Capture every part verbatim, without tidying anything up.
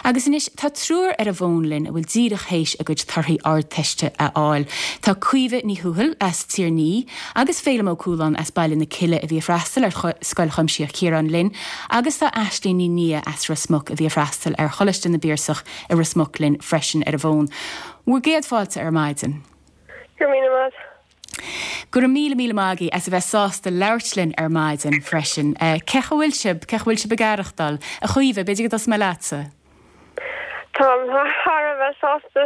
Agus anois tá triúr ar an bhfón linn a bhfuil díreach théis a gcuid torthaí ardteiste a fháil. Tá Caoimhe Ní Thuathail as Tír an Fhia agus Féilim Ó Cualáin as Baile na Cille a bhí ag freastal ar Scoil Chuimsitheach Chiaráin linn, agus tá Aisling Ní Nia as Ros Muc a bhí ag freastal ar Choláiste na bPiarsach i Ros Muc linn freisin ar an bhfón. Bhur gcéad fáilte ar maidin. Go míle maith. Go raibh míle míle maith agaibh as a bheith sásta labhairt linn ar maidin freisin. Cén chaoi a bhfuil sibh, cén chaoi a bhfuil sibh ag aireachtáil, a Chaoimhe, b'fhéidir go dtosóidh mé leatsa. Táim thar a bheith sásta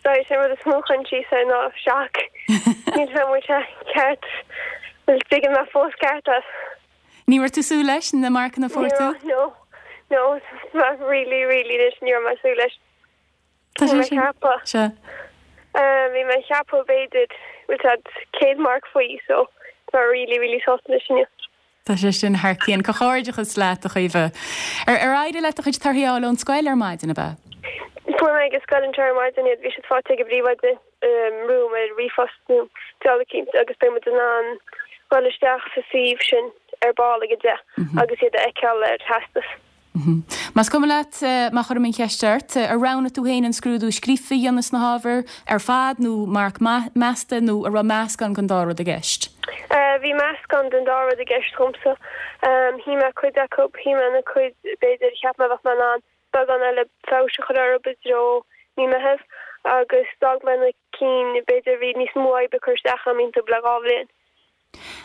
sé rud is mó chun sí sé ná seach. Níl mu ceart tuige me fós ceart. Ní raibh tú ag súil leis na marcanna a fuair tú? No, no, really, really leis ní raibh mé ag súil leis. Tá sé ceapadh. Se. Bhí mé ceapadh b'fhéidir bhfuil céad marc faoi so tá really really sásta leis inniu. Tá sé sin thar cionn comhghairdeachas leat a Chaoimhe. Ar ar éirigh leat do chuid torthaí a fháil ón scoil ar maidin ab ea? Fuair mé ag scoil an ar maidin iad bhí siad faighte ag an bpríomhoide romham ar ríomhphost nó dealacínt agus beidh muid in ann dul isteach sa suíomh sin ar ball ag a deich agus iad a fheiceáil ar teastas. Más cuma leat má chuirim an cheist ort, ar roghnaigh tú féin an scrúdú scríofa a dhéanamh sna hábhair ar fad nó marc measta nó an raibh meascán den dá rud i gceist? Bhí meascán den dá rud i gceist dhomsa. Shuigh mé cuid acu, shuigh mé na cuid b'fhéidir cheap mé bheadh mé in ann beagán eile feabhas a chur orthu i dtreo mí Meitheamh agus d'fhág mé na cinn b'fhéidir bhí níos mó oibre cur isteach agam iontu le dhá bhliain.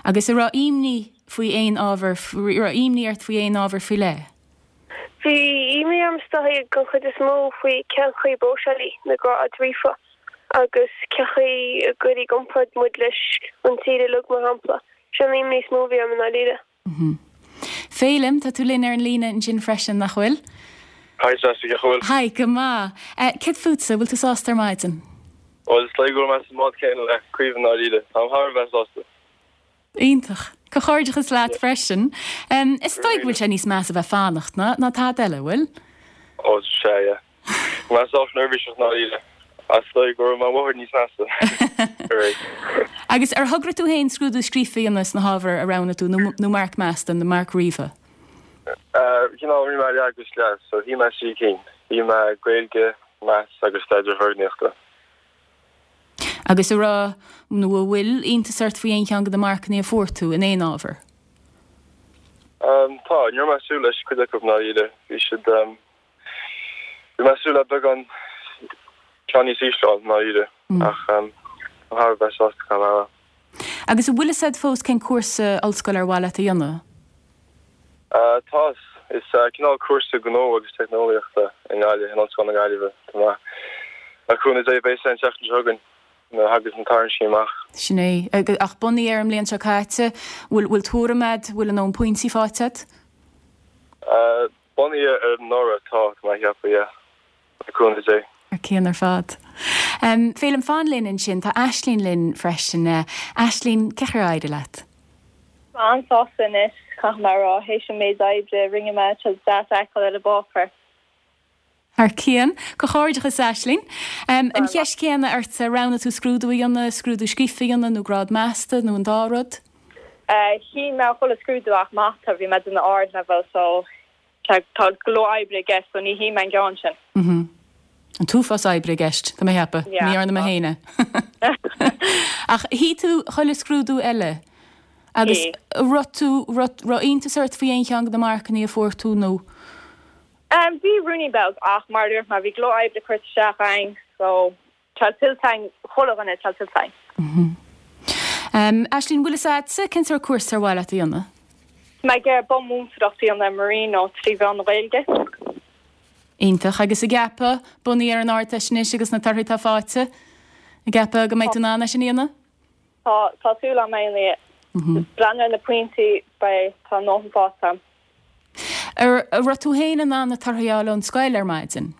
Agus an raibh imní faoi aon ábhar raibh imní ort faoi aon ábhar faoi leith? Bhí imní orm is dóigh den chuid is mó faoi cén chaoi a bpróiseálfaí na gráid ríofa agus cén chaoi a gcuirfí i gcomparáid muid leis an tír uilig mar shampla. Sin an imní is mó a bhí orm i ndáiríre. Féilim, tá tú linn ar an líne ansin freisin nach bhfuil? Hi Jessica, bhfuil. Hi, go maith. Céard fútsa, bhfuil tú sásta ar maidin? Well is dóigh go bhfuil mé sa mbád céanna le Caoimhe i ndáiríre, Táim thar a bheith sásta. Iontach. Comhghairdeachas leat freisin. Um, is dóigh go bhfuil sé níos measa bheith fanacht ná ná tada eile, bhfuil? Ó sé yeah. Mé sách neirbhíseach i ndáiríre. Is dóigh go raibh mé bhfuil níos measa. Agus ar thograigh tú féin scrúdú scríofa a dhéanamh sna hábhair a roghnaigh tú nó, nó marc measta nó marc ríofa? Cineál rinne mé leath agus leath, so shuigh mé trí cinn. Shuigh mé Gaeilge, Maths agus Staidéar Foirgníochta. Agus an raibh nó an bhfuil iontas ort faoi aon cheann de na marcanna a fuair tú in aon ábhar? Um, tá, ní raibh mé ag súil leis cuid acu i ndáiríre. Bhí siad um, bhí mé ag súil le beagán ceann níos ísle i ndáiríre ach um, thar a bheith sásta go maith. Agus an bhfuil a fhios agat fós cén cúrsa ollscoile ar mhaith leat a dhéanamh? Uh, tá is uh, cineál cúrsa gnó agus teicneolaíochta i nGaillimh in Ollscoil na Gaillimhe Tá le cúnamh Dé beidh an tseachtain seo chugainn nuair a thagas na torthaí amach. Sin é ach bunaithe ar an mbliain seo caite, bhfuil bhfuil tuairim agat bhfuil an pointí faighte agat? Uh, bunaithe ar anuraidh tá mé ag ceapadh yeah. Le cúnamh Dé. Ar cionn ar fad. Um, Féilim fan linn ansin tá Aisling linn freisin uh, Aisling cén chaoi ar éirigh leat. An-sásta anois caithfidh mé rá théis an méid oibre rinne mé deas a fheiceáil ar an bpáipéar. Thar cionn comhghairdeachas Aisling. Um, an cheist chéanna ort roghnaigh tú scrúdú a dhéanamh, scrúdú scríofa a dhéanamh nó grád measta nó an dá rud? Shuigh mé chuile scrúdú ach mata bhí mé den ardleibhéal so tá go leor oibre i gceist so ní shuigh mé an ceann sin. Mm An t-uafás oibre i gceist Tá mé ag ceapadh ní arna me héine. Ach shuigh tú chuile scrúdú eile agus raibh tú raibh iontas ort faoi aon cheann de na marcanna a fuair tú nó? Um, bhí ruainnín beag ach mar dúirt mé bhí go leor oibre curtha isteach againn so tá tuillte againn chuile dhuine tá tuillte againn. Mm -hmm. Um, Aisling bhfuil a fhios agatsa cén sórt cúrsa ar mhaith leat a dhéanamh? Mé ag iarraidh bunmhúinteoireacht a dhéanamh Marino trí mheán na Gaeilge. Iontach agus ag ceapadh bunaithe ar an Ardteist anois agus na torthaí atá faighte ag ceapadh go mbeidh tú in ann é sin a dhéanamh? Tá tá súil agam é breathnú ar na pointí beidh tá nóthan fáta. Ar raibh tú féin in ann na torthaí a fháil ón scoil ar maidin?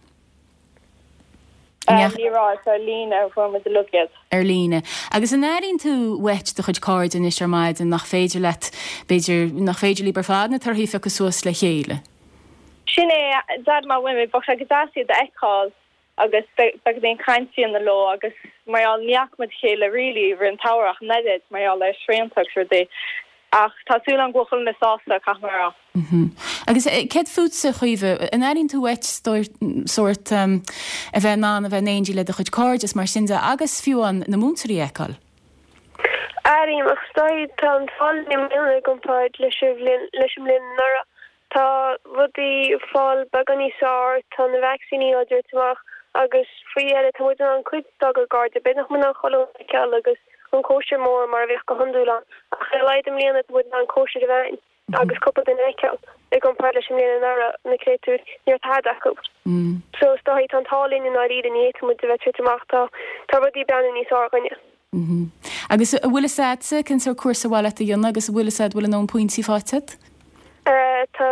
Ní raibh ar líne a fuair muid uilig. Ar líne. Agus an airíonn tú uait do chuid cairde anois ar maidin nach féidir leat b'fhéidir nach féidir libh ar fad na torthaí a phiocadh suas le chéile. Sin é dad má bhfuil mé sé go deas iad a fheiceáil agus beagán cainte na leo agus mar ní fhaca muid chéile really rin tárach neid mar le srianta rudaí. Ach tá súil agam go bhfuil chuile dhuine sásta, caithfidh mé a rá. Agus céard fútsa, a Chaoimhe, an airíonn tú uait sórt a bheith in ann a bheith in éindí le do chuid cairde is mar sin de agus fiú amháin na múinteoirí a fheiceáil? Airím, ach is dóigh tá an t-ádh linn i mbliana i gcomparáid leis an bhliain leis an mbliain anuraidh. Tá rudaí ag fáil beagán níos fearr, tá na vacsaíní á dtabhairt amach agus faoi dheireadh tá muid in ann cuid dár gcairde, b'fhéidir nach mbeidh in ann chuile dhuine a fheiceáil agus an cóisir mór mar a bheadh go hiondúil ann ach ar a laghad i mbliana tá muid in ann cóisir a bheith ann agus cúpla duine a fheiceáil i gcomparáid leis an mbliain anuraidh, na créatúir, ní raibh tada acu. So is dóigh tá an t-ádh linn i ndáiríre, ní fhéadfaidh muid a bheith ag tabhairt amach, tá tá rudaí ag breathnú níos fearr dhúinne. Agus an bhfuil fhios a'dsa cén sórt cúrsa ar mhaith leat a dhéanamh agus an bhfuil fhios a'd bhfuil a ndóthain pointí faighte a'd? Tá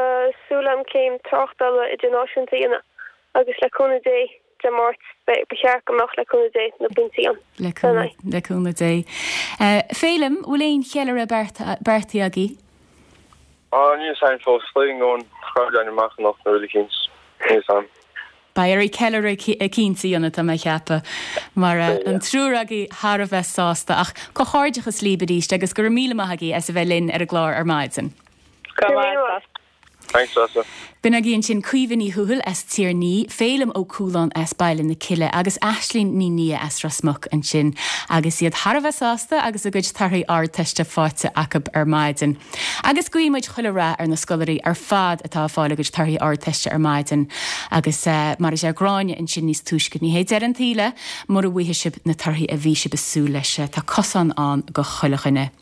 súil a'm céim tráchtála idirnáisiúnta a dhéanamh agus le cúnamh Dé, Dé Máirt, ba cheart go mbeadh le cúnamh Dé na pointí ann. Le cúnamh, le cúnamh Dé. Féilim, bhfuil aon cheiliúradh beartaithe agaibh? Á, níl fhios a'm fós, is dóigh go ngabhann cairde againn amach anocht nó rud eicínt, níl fhios a'm. Beidh oraibh ceiliúradh eicínt a dhéanamh, tá mé a cheapadh, mar an triúr agaibh thar a bheith sásta. Ach comhghairdeachas libh arís agus go raibh míle maith agaibh as a bheith linn ar an gclár ar maidin. Go raibh míle maith. Thanks, Treasa. B'in agaibh ansin Caoimhe Ní Thuathail as Tír an Fhia, Féilim Ó Cualáin as Baile na Cille agus Aislinn Ní Nia as Ros Muc ansin agus iad thar a bheith sásta agus a gcuid torthaí Ardteiste faighte acu ar maidin. Agus guíonn muid chuile rath ar na scoláirí ar fad atá ag fáil a gcuid torthaí Ardteiste ar maidin agus mar a deir Gráinne ansin níos túisce, ní hé deireadh an tsaoil é mura bhfaighidh sibh na torthaí a bhí sibh ag súil leis. Tá cosán ann do chuile dhuine.